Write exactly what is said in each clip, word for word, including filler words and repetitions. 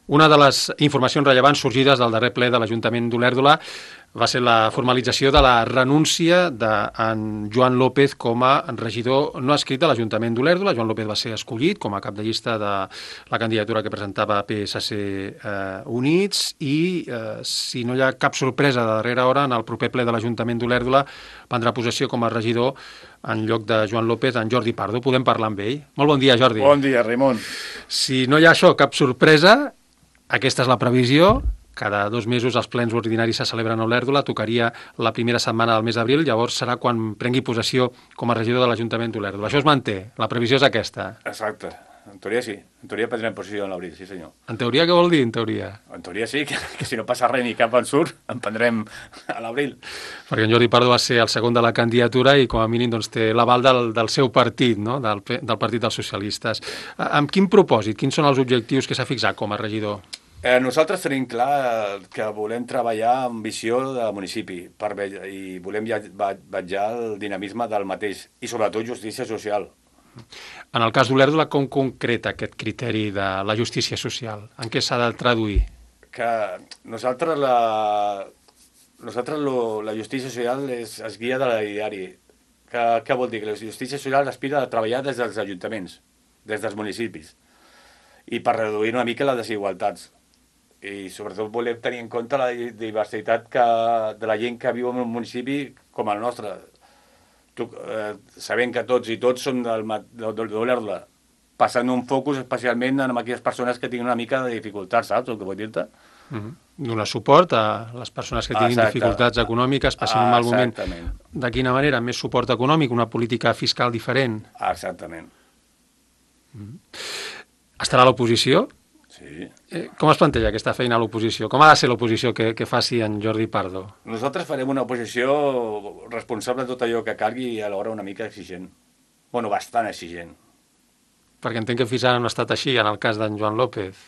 Una de les informacions rellevants sorgides del darrer ple de l'Ajuntament d'Olèrdola va ser la formalització de la renúncia d'en Joan López com a regidor no escrit de l'Ajuntament d'Olèrdola. Joan López va ser escollit com a cap de llista de la candidatura que presentava P S C eh, Units i, eh, si no hi ha cap sorpresa de darrera hora, en el proper ple de l'Ajuntament d'Olèrdola prendrà possessió com a regidor en lloc de Joan López, en Jordi Pardo. Podem parlar amb ell. Molt bon dia, Jordi. Bon dia, Raimon. Si no hi ha això, cap sorpresa, aquesta és la previsió. Cada dos mesos els plens ordinaris se celebren a Olèrdola, tocaria la primera setmana del mes d'abril, llavors serà quan prengui possessió com a regidor de l'Ajuntament d'Olèrdola. Això es manté, la previsió és aquesta. Exacte, en teoria sí, en teoria prendrem possessió en l'abril, sí senyor. En teoria què vol dir, en teoria? En teoria sí, que, que si no passa res ni cap en surt, en prendrem a l'abril. Perquè en Jordi Pardo va ser el segon de la candidatura i com a mínim doncs, té l'aval del, del seu partit, no? del, del Partit dels Socialistes. Amb quin propòsit, quins són els objectius que s'ha fixat com a regidor? Eh, nosaltres tenim clar que volem treballar amb visió de municipi per, i volem vetllar el dinamisme del mateix i sobretot justícia social. En el cas d'Olèrdola, com concreta aquest criteri de la justícia social? En què s'ha de traduir? Que nosaltres la, nosaltres lo, la justícia social es, es guia de l'ideari. Que, què vol dir? Que la justícia social aspira a treballar des dels ajuntaments, des dels municipis, i per reduir una mica les desigualtats. I sobretot volem tenir en compte la diversitat que, de la gent que viu en un municipi com el nostre. Tu, eh, sabent que tots i tots som d'Olèrdola, passant un focus especialment en aquelles persones que tinguin una mica de dificultats, saps el que vull dir-te? Mm-hmm. Donar suport a les persones que tinguin Exacte. dificultats econòmiques, passant un mal moment. De quina manera? Més suport econòmic, una política fiscal diferent? Exactament. Mm-hmm. Estarà a l'oposició? Sí. Eh, com es planteja aquesta feina a l'oposició? Com ha de ser l'oposició que, que faci en Jordi Pardo? Nosaltres farem una oposició responsable de tot allò que calgui i alhora una mica exigent. Bueno, bastant exigent. Perquè entenc que fins ara no ha estat així en el cas d'en Joan López.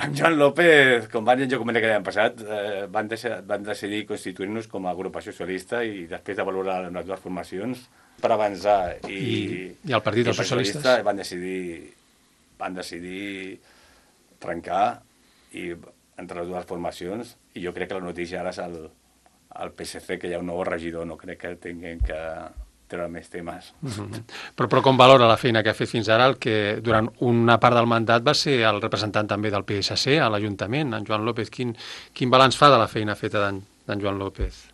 En Joan López, com van dir jo comentar que l'any passat, eh, van, deixar, van decidir constituir-nos com a agrupació socialista i després de valorar les dues formacions per avançar. I, I, i el Partit dels Socialistes? Van decidir... van decidir trencar i, entre les dues formacions, i jo crec que la notícia ara és el, el P S C, que hi ha un nou regidor, no crec que tinguin que treure més temes. Mm-hmm. Però, però com valora la feina que ha fet fins ara el que durant una part del mandat va ser el representant també del P S C a l'Ajuntament, en Joan López? Quin, quin balanç fa de la feina feta d'en Joan López?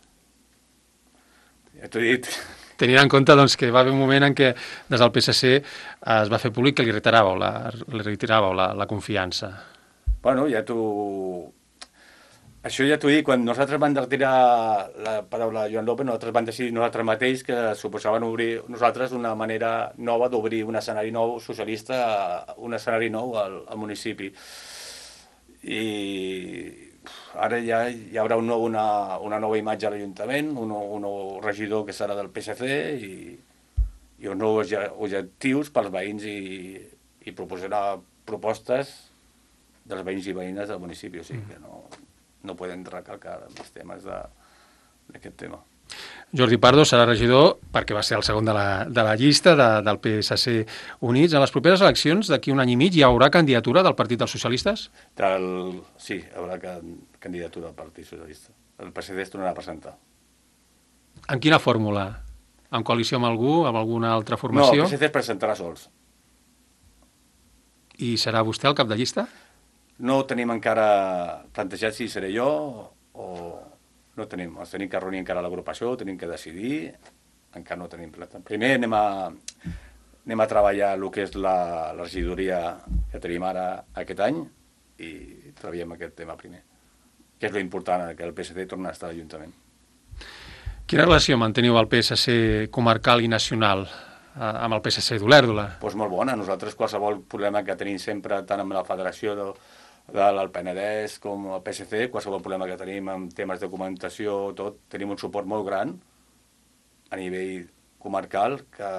Ja t'ho he dit... Tenint en compte doncs, que va haver un moment en què des del P S C es va fer públic que li reiteràveu la, li reiteràveu la, la confiança. Bueno, ja t'ho... Això ja t'ho he dit, quan nosaltres vam retirar la paraula Joan López, nosaltres vam decidir nosaltres mateix que suposaven obrir nosaltres una manera nova d'obrir un escenari nou socialista, un escenari nou al, al municipi. I... ara ja hi haurà un nou, una, una nova imatge a l'Ajuntament, un, un nou regidor que serà del P S C i, i uns nous objectius pels veïns i, i proposarà propostes dels veïns i veïnes del municipi, o sigui que no, no podem recalcar més temes d'aquest tema. Jordi Pardo serà regidor perquè va ser el segon de la, de la llista de, del P S C Units. En les properes eleccions, d'aquí un any i mig, hi haurà candidatura del Partit dels Socialistes? Del... Sí, hi haurà candidatura del Partit Socialista. El P S C es tornarà a presentar. En quina fórmula? En coalició amb algú, amb alguna altra formació? No, el P S C es presentarà sols. I serà vostè el cap de llista? No tenim encara plantejat si seré jo o... No tenim, ens tenim que reunir encara a l'agrupació, tenim que decidir, encara no tenim plata. Primer anem a, anem a treballar el que és la, la regidoria que tenim ara aquest any i treballem aquest tema primer, que és l'important, que el P S C torni a estar a l'Ajuntament. Quina relació manteniu el P S C comarcal i nacional amb el P S C d'Olèrdola? Doncs molt bona. Nosaltres qualsevol problema que tenim sempre, tant amb la federació de, del Penedès com el P S C, qualsevol problema que tenim amb temes de documentació, tot, tenim un suport molt gran a nivell comarcal que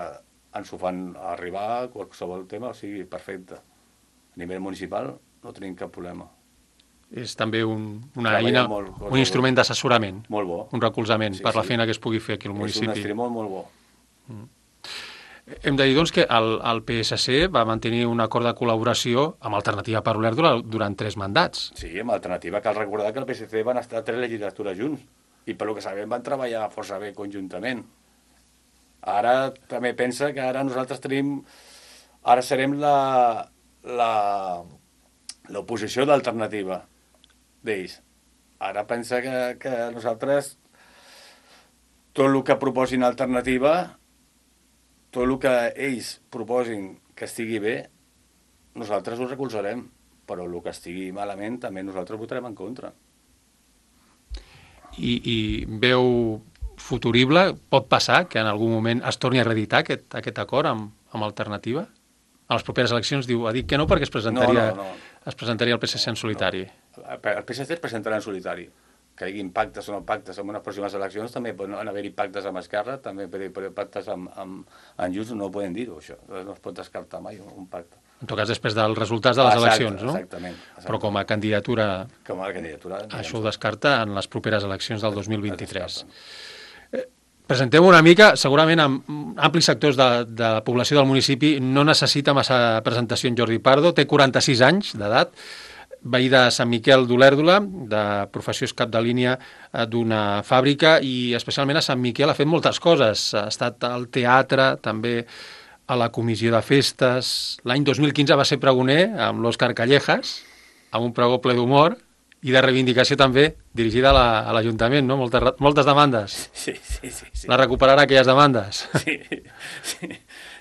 ens ho fan arribar qualsevol tema, o sigui, perfecte. A nivell municipal no tenim cap problema. És també un, una eina, molt, un instrument d'assessorament, molt bo, un recolzament sí, per la sí. feina que es pugui fer aquí al municipi. És un estri molt, molt bo. Mm. Hem de dir, doncs, que el, el P S C va mantenir un acord de col·laboració amb Alternativa per Olèrdola durant tres mandats. Sí, amb Alternativa cal recordar que el P S C van estar tres legislatures junts i per lo que sabem van treballar força bé conjuntament. Ara també pensa que ara nosaltres tenim... Ara serem la la l'oposició d'Alternativa d'ells. Ara pensa que, que nosaltres tot el que proposin Alternativa, tot el que ells proposin que estigui bé, nosaltres ho recolzarem, però el que estigui malament també nosaltres votarem en contra. I, i veu futurible, pot passar que en algun moment es torni a reeditar aquest, aquest acord amb, amb Alternativa? A les properes eleccions diu, ha dit que no perquè es presentaria, no, no, no. es presentaria el P S C en solitari. No. El P S C es presentarà en solitari. Que hi hagi pactes o no pactes en unes pròximes eleccions, també poden haver-hi pactes amb Esquerra, també poden haver pactes amb, amb, amb Junts, no ho poden dir-ho, això. No es pot descartar mai un pacte. En tot cas, després dels resultats de les Exacte, eleccions, no? Exactament, exactament. Però com a candidatura... Com a candidatura... Això ho descarta en les properes eleccions del dos mil vint-i-tres. Presentem una mica, segurament amb amplis sectors de, de la població del municipi no necessita massa presentació en Jordi Pardo, té quaranta-sis anys d'edat, veí de Sant Miquel d'Olèrdola, de professió és cap de línia d'una fàbrica i especialment a Sant Miquel ha fet moltes coses, ha estat al teatre, també a la comissió de festes, l'any dos mil quinze va ser pregoner amb l'Òscar Callejas, amb un pregó ple d'humor, i de reivindicació també, dirigida a l'Ajuntament, no? Moltes, moltes demandes. Sí, sí, sí, sí. La recuperarà aquelles demandes. Sí, sí,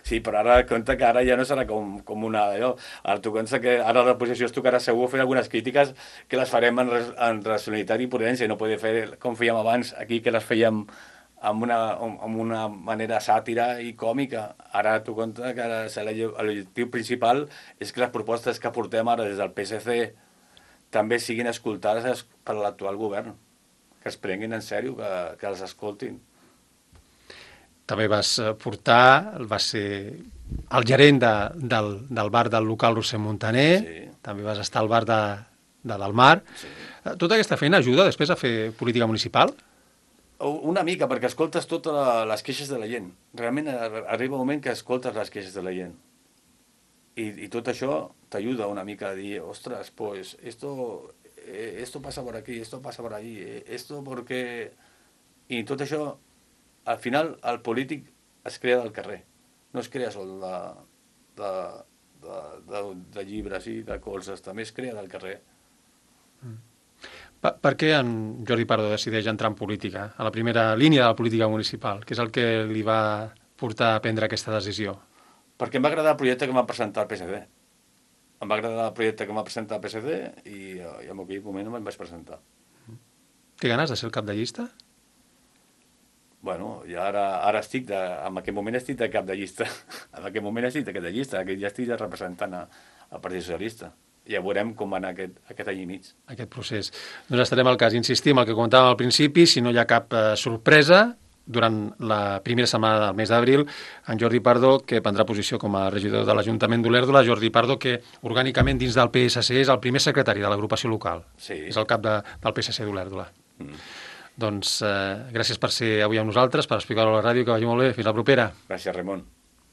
sí, però ara compte que ara ja no serà com, com una... Allò. Ara tu compte que ara la posició es tocarà segur fer algunes crítiques que les farem en, en racionalitat i prudència, no poder fer com fèiem abans aquí, que les fèiem amb una, amb una manera sàtira i còmica. Ara tu compte que l'objectiu principal és que les propostes que portem ara des del P S C també siguin escoltades per l'actual govern, que es prenguin en sèrio, que, que els escoltin. També vas portar, vas ser el gerent de, del, del bar del local Roser Montaner, sí. També vas estar al bar de, de Dalmar. Sí. Tota aquesta feina ajuda després a fer política municipal? Una mica, perquè escoltes totes les queixes de la gent. Realment arriba un moment que escoltes les queixes de la gent. I, i tot això t'ajuda una mica a dir, ostres, pues esto, eh, esto pasa por aquí, esto pasa por allí, eh, esto porque... I tot això, al final, el polític es crea del carrer, no es crea sol de, de, de, de, de llibres i de colzes, també es crea del carrer. Mm. Per, per què en Jordi Pardo decideix entrar en política, a la primera línia de la política municipal? Què és el que li va portar a prendre aquesta decisió? Perquè em va agradar el projecte que em va presentar el P S D. Em va agradar el projecte que em va presentar el P S D i, i en aquell moment me'n vaig presentar. Té ganes de ser el cap de llista? Bueno, i ara, ara estic, de, en aquest moment estic de cap de llista. En aquest moment estic de cap de llista, ja estic representant al Partit Socialista. Ja veurem com va anar aquest, aquest any i mig. Aquest procés. Doncs estarem al cas, insistim, el que comentàvem al principi, si no hi ha cap eh, sorpresa, durant la primera setmana del mes d'abril, en Jordi Pardo, que prendrà posició com a regidor de l'Ajuntament d'Olèrdola, Jordi Pardo, que orgànicament dins del P S C és el primer secretari de l'agrupació local. Sí. És el cap de, del P S C d'Olèrdola. Mm. Doncs eh, gràcies per ser avui amb nosaltres, per explicar-ho a la ràdio, que vagi molt bé. Fins la propera. Gràcies, Ramon.